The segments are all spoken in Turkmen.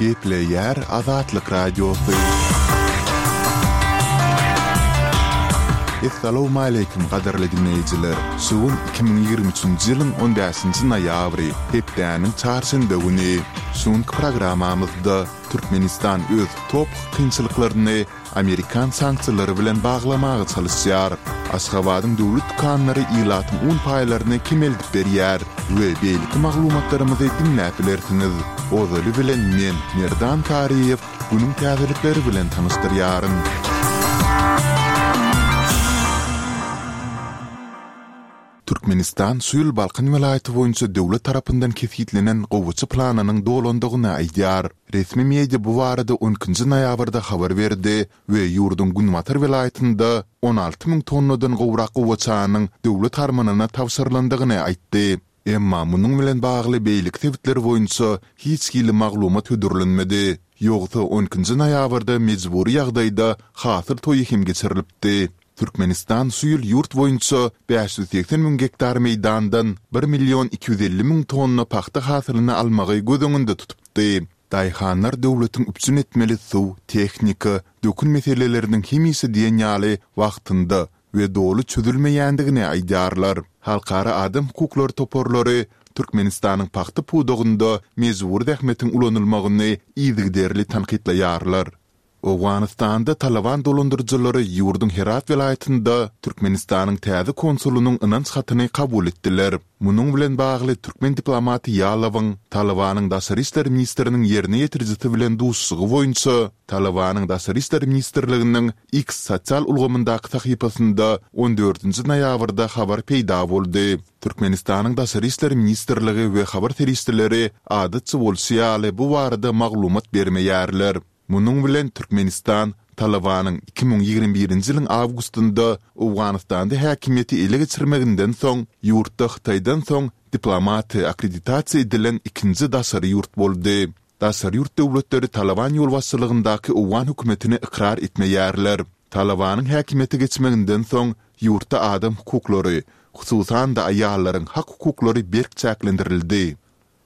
Gepleýär Azatlyk Radiosy. Essalawmaleýkim gadyrly diňleýjiler! Şu gün 2023-nji ýylyň on bäşinji noýabry, hepdäniň çarşenbe güni. Şu günki programmamyzda Türkmenistan öz top kynçylyklaryny amerikan sanksiýalary bilen baglamaga çalyşýar. Aşgabadyň döwlet dükanlary ilatyň un paýlaryny kemeldip berýär we beýleki maglumatlarymyzy diňläp bilersiňiz. Ozaly bilen men, Merdan Taryýew, günüň täzelikleri bilen tanyşdyrýaryn. Türkmenistan şu ýyl Balkan welaýaty boýunça döwlet tarapyndan kesgitlenen gowaça planynyň dolandygyny aýdýar. Resmi media bu barada on ikinji noýabrda habar berdi we ýurduň günbatar welaýatynda 16 müň tonnadan gowrak gowaçanyň döwlet harmanyna tabşyrylandygyny aýtdy. Emma munuň bilen bagly beýleki sebitler boýunça hiç hili maglumat hödürlenmedi. Ýogsa on ikinji noýabrda mejbury ýagdaýda hasyl toýy hem geçirilipdi. Türkmenistan şu ýyl ýurt boýunça 580 müň gektar meýdandan bir million 250 müň tonna pagta hasylyny almagy göz öňünde tutupdy. Daýhanlar döwletiň üpjün etmeli suw, tehnika, dökün meseleleriniň hemişe diýen ýaly wagtynda we doly çözülmeýändigini aýdýarlar. Halkara adam hukuklary toparlary Türkmenistanyň pagta pudagynda mejbury zähmetiň ulanylmagyny yzygiderli tankytlaýarlar. Owganystanda Talyban dolandyryjylary ýurduň Herat welaýatynda Türkmenistanyň täze konsulynyň ynanç hatyny kabul etdiler. Munuň bilen bagly türkmen diplomaty Ýalowyň Talybanyň daşary işler ministriniň ýerine ýetirijisi bilen duşuşygy boýunça Talybanyň Daşary işler ministrliginiň X sosial ulgamyndaky sahypasynda on dördünji noýabrda habar peýda boldy. Türkmenistanyň Daşary işler ministrligi we habar serişdeleri adatça bolşy ýaly bu barada maglumat bermeýärler. Munuň bilen Türkmenistan Talybanyň 2021-nji ýylyň awgustynda Owganystanda häkimiýeti ele geçirmeginden soň ýurtda Hytaýdan soň diplomaty akkreditasiýa edilen ikinji daşary ýurt boldy. Daşary ýurt döwletleri Talyban ýolbaşçylygyndaky owgan hökümetini ykrar etmeýärler. Talybanyň häkimiýete geçmeginden soň ýurtda adam hukuklary, hususan-da aýallaryň hak-hukuklary berk çäklendirildi.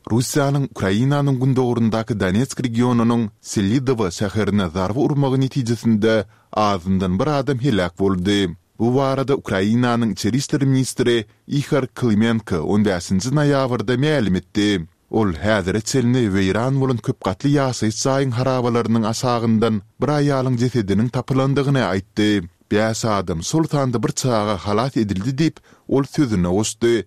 Russiýanyň Ukrainanyň gündogaryndaky Donetsk regionynyň Selidowo şäherine zarba urmagy netijesinde azyndan bir adam heläk boldy. Bu barada Ukrainanyň içeri işler ministri Ihor Klymenko on bäşinji noýabrda mälim etdi. Ol häzire çenli weýran bolan köp gatly ýaşaýyş jaýyň harabalarynyň aşagyndan bir aýalyň jesediniň tapylandygyny aýtdy. Bäş adam, şol sanda bir çaga halas edildi diýip, ol sözüne goşdy.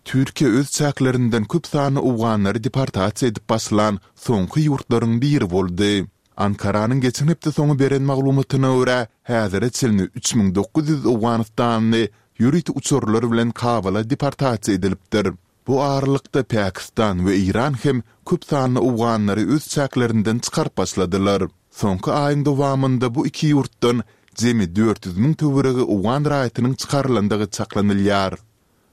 Türkiýe öz çäklerinden köp sanly owganlary deportasiýa edip başlan soňky ýurtlaryň biri boldy. Ankaranyň geçen hepde soňy beren maglumatyna görä, häzire çenli 3900 owganystanly ýörite uçarlar bilen Kabala deportasiýa edilipdir. Bu aralykda Pakistan we Eýran hem köp sanly owganlary öz çäklerinden çykaryp başladylar. Soňky aýyň dowamynda bu iki ýurtdan jemi 400 müň töweregi owgan raýatynyň çykarylandygy çaklanylýar.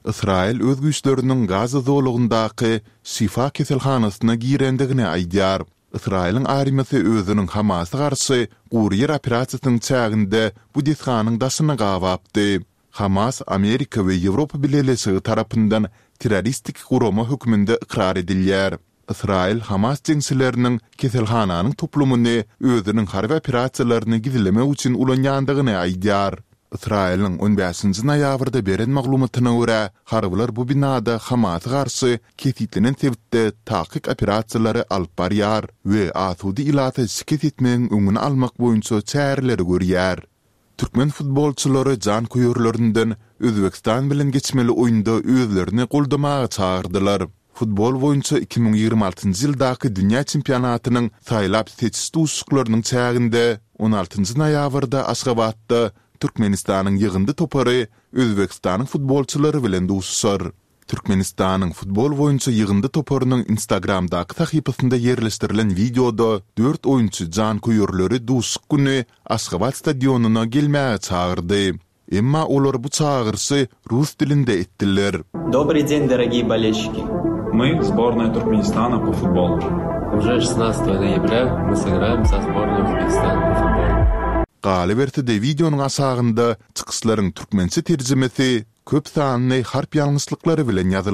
Ysraýyl öz güýçleriniň Gaza zolagyndaky Şifa keselhanasyna girendigini aýdýar. Ysraýylyň armiýasy özüniň Hamasa garşy gury ýer operasiýasynyň çäginde bu desganyň daşyny gabapdy. Hamas Amerika we Ýewropa Bileleşigi tarapyndan terroristik gurama hökmünde ykrar edilýär. Ysraýyl Hamas jeňçileriniň keselhananyň toplumyny özüniň harby operasiýalaryny gizlemek üçin ulanýandygyny aýdýar. Ysraýylyň on bäşinji noýabrda beren maglumatyna görä, harbylar bu binada Hamasa garşy kesgitlenen sebitde takyk operasiýalary alyp barýar we asuda ilata şikes etmegiň öňüni almak boýunça çäreleri görýär. Türkmen futbolçylary janköýerlerinden Özbegistan bilen geçmeli oýunda özlerini goldamaga çagyrdylar. Futbol boýunça 2026-njy ýyldaky dünýä çempionatynyň saýlap-seçiş duşuşyklarynyň çäginde on altynjy noýabrda Aşgabatda Türkmenistanyň ýygyndy topary Özbegistanyň futbolçylary bilen duşuşar. Türkmenistanyň futbol boýunça ýygyndy toparynyň Instagramdaky sahypasynda ýerleşdirilen wideoda dört oýunçy janköýerleri duşuşyk güni Aşgabat stadionyna gelmäge çagyrdy. Emma olar bu çagyryşy rus dilinde etdiler. Dobryý den, dorogiý bolelşiki! My, sbornaýa Turkmenistana po futbolu. Uje şestnadtsatogo noýabrýa my sygraýam sa sbornoý Uzbekistana po futbolu. Galyberse-de wideonyň aşagynda çykyşlaryň türkmençe terjimesi köp sanly harp ýalňyşlyklary bilen ýazylypdyr.